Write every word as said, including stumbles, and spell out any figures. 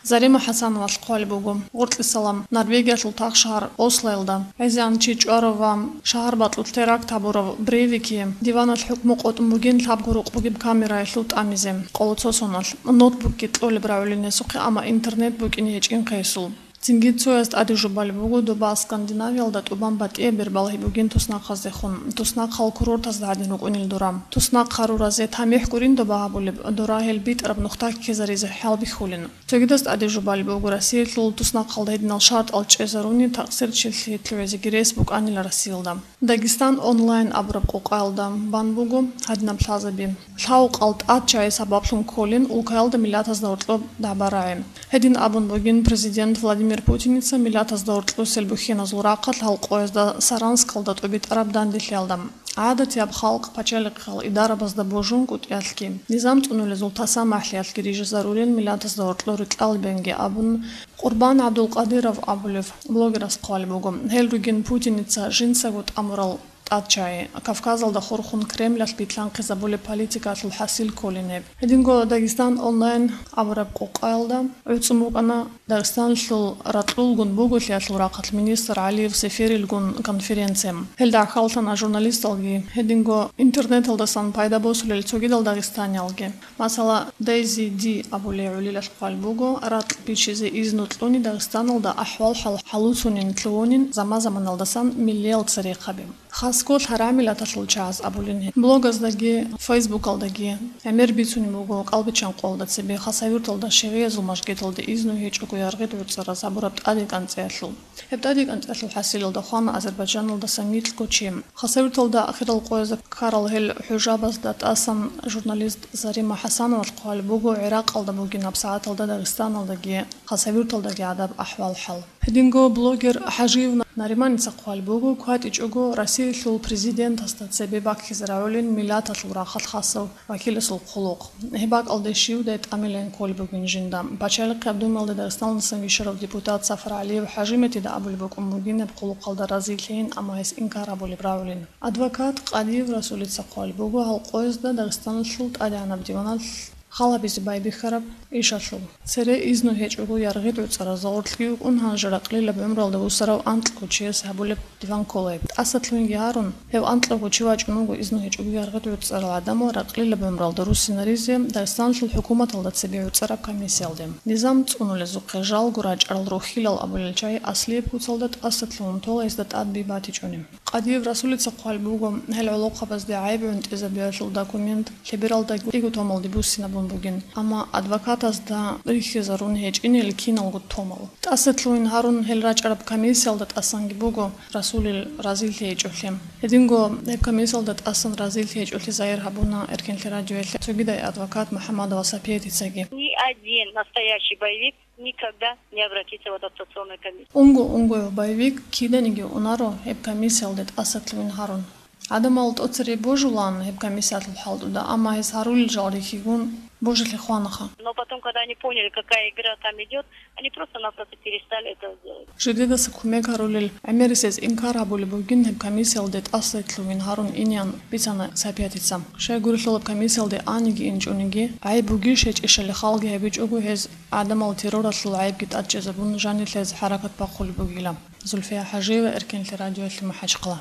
Зарима ХӀасановалъ хъвалеб буго, гъоркьисалам, Норвегиялъул тахшагьар Ослоялда гӀезегӀан чи чӀварав ва шагьарбакьулъ теракт гьабурав Брейвике диваналъ хӀукму къотӀун бугин лъабго рукъ бугеб камераялъул тӀамизе, къоло цо соналъ, ноутбукги кьолеб рагӀулин гьесухъе, амма интернет букӀине гьечӀин гьесул. Цинги цояз тӀаде жубалеб буго доба Скандинавиялда тӀубан батӀияб бер балгьи бугин туснахъаздехун, туснахъал курортазда гьадин рукӀунел дора. Туснахъ гьарураз тамихӀ гурин доба гьабулеб, дора гьел битӀараб нухда ккезаризе хӀалбихьулин. Цогидаз тӀаде жубалеб буго Россиялъул туснахъалда гьединал шартӀал чӀезаруни, такъсир чилъи лъугӀизеги рес букӀанила Россиялда. Дагестан онлайн абураб къокъаялда бан буго гьадинаб лъазаби. Лъавукъал тӀад чагӀи сабаблъун кколин улкаялда миллатазда гьоркьоб дагӀба-рагӀи. Гьедин абун бугин президент Владимир Путиница миллатазда гьоркьосел бухьиназул рахъалъ гьал къоязда Саранскалда тӀубитӀараб данделъиялда. ГӀадатияб халкъ пачалихъал идарабазда божун кӀутӀиялъги, низам цӀунулезул таса-махӀлъиялъги рижизарулел миллатазда гьоркьор рикьалабенги абун, Къурбан ГӀабдулкъадиров абулев блогерас хъвалеб буго. Гьел ругин Путиница жинцаго тӀамурал тӀад чагӀи, Кавказалда хурхун Кремлалъ битлъанхъизабулеб политикаялъул хӀасил кколин гьеб. Гьединго Дагестан онлайн абураб къокъаялда гӀуцӀун букӀана Дагъистаналъул ракьулгун буголъиялъул рахъалъ министр ГӀалиев Сеферилгун конференция. Гьелда гӀахьаллъана журналисталги, гьединго интернеталдасан пайда босулел цогидал дагъистаниялги. Масала, Дейзи Ди абулей гӀолилалъ хъвалеб буго, ракь бичизе изну кьуни Дагъистаналда ахӀвал-хӀал хӀалуцунин лъугьунин заман-заманалдасан миллиял церехъаби. Хасго лъарамилаталъул чагӀаз абулин гьеб. Блогаздаги, Фейсбукалдаги гӀемер бицунеб буго КӀалбиччан къоялда цебе Хасавюрталда шигӀиязул мажгиталде изну гьечӀого яргъи гӀуцӀараз гьабураб тӀаде кӀанцӀиялъул. Гьеб тӀаде кӀанцӀиялъул хӀасилалда хвана Азербайджаналдаса микьго чи. Хасавюрталда ахирал къоязда ккарал гьел хӀужабазда тӀасан журналист Зарима ХӀасановалъ хъвалеб буго ГӀиракъалда бугин гьабсагӀаталда Дагъистаналдаги Хасавюрталдаги гӀадаб ахӀвал-хӀал. Гьединго блогер ХӀажиев Нариманица хъвалеб буго, кватӀичӀого Россиялъул президентасда цебе баккизе рагӀулин миллаталъул рахъалъ хасав вакиласул хъулухъ. Гьеб бакӀалде щивдай тӀамилан кколеб бугин жинда. Пачалихъияб Думаялда Дагъистаналдасан вищарав депутат Сафар ГӀалиев ХӀажиметида абулеб букӀун бугин гьеб хъулухъалда разилъейин, амма гьес инкар гьабулеб рагӀулин. Адвокат Къадиев Расулица хъвалеб буго гьал къоязда Дагъистаналъул тӀадегӀанаб диваналъ хал гьабизе байбихьараб ишалъул. Цере изну гьечӀого яргъи гӀуцӀараз гъорлъги вукӀун гьанже ракълилаб гӀумруялда вусарав анкьго чияс гьабулеб диван ккола гьеб. ТӀасалъугьинги гьарун, гьев анкьго чи вачӀун вуго изну гьечӀого яргъи гӀуцӀарал гӀадамал ракълилаб гӀумруялда руссинаризе Дагъистаналъул хӀукуматалда цебе гӀуцӀараб комиссиялде. Низам цӀунулезухъе жалго рачӀарал рухьилал абулел чагӀи Аслияб куцалда тӀасалъугьун тола гьезда тӀад би батичӀони. Къадиев Расулица хъвалеб буго, гьел гӀолохъабазде гӀайиб гӀунтӀизабиялъул документ лъебералда кӀиго томалде буссинабун бугин, амма адвокатазда рихьизарун гьечӀинел киналго томал. ТӀасалъугьин гьарун гьел рачӀараб комиссиялда тӀасанги буго Расулил разилъи гьечӀолъи. Гьединго гьеб комиссиялда тӀасан разилъи гьечӀолъи загьир гьабуна Эркенлъи радиоялъе цогидай адвокат МухӀаммадова Сапиятицаги. Ни один настоящий боевик никогда не обратится в адаптационную комиссию. Унго-унгояв боевик киданиги унаро гьеб комиссиялде тӀасалъугьин гьарун. ГӀадамал тӀоцере божулаан гьеб комиссиялъул хӀалтӀуда, амма гьес гьарулел жал рихьигун божилъи хванаха. Но потом, когда они поняли, какая игра там идет, они просто-напросто перестали это делать. Жидедаса кумек гьарулел гӀемерисез инкар гьабулеб бугин гьеб комиссиялде тӀасалъугьин гьарун инеян бицана Сапиятица. Щайгурелъул гьеб комиссиялде аниги инчӀониги, гӀайиб бугищ гьечӀищали халги гьабичӀого гьез гӀадамал терроралъул гӀайибги тӀадчӀезабун жанилъ гьез хӀаракат бахъулеб бугила. Зульфия ХӀажиева, Эркенлъи радиоялъе, МахӀачхъала.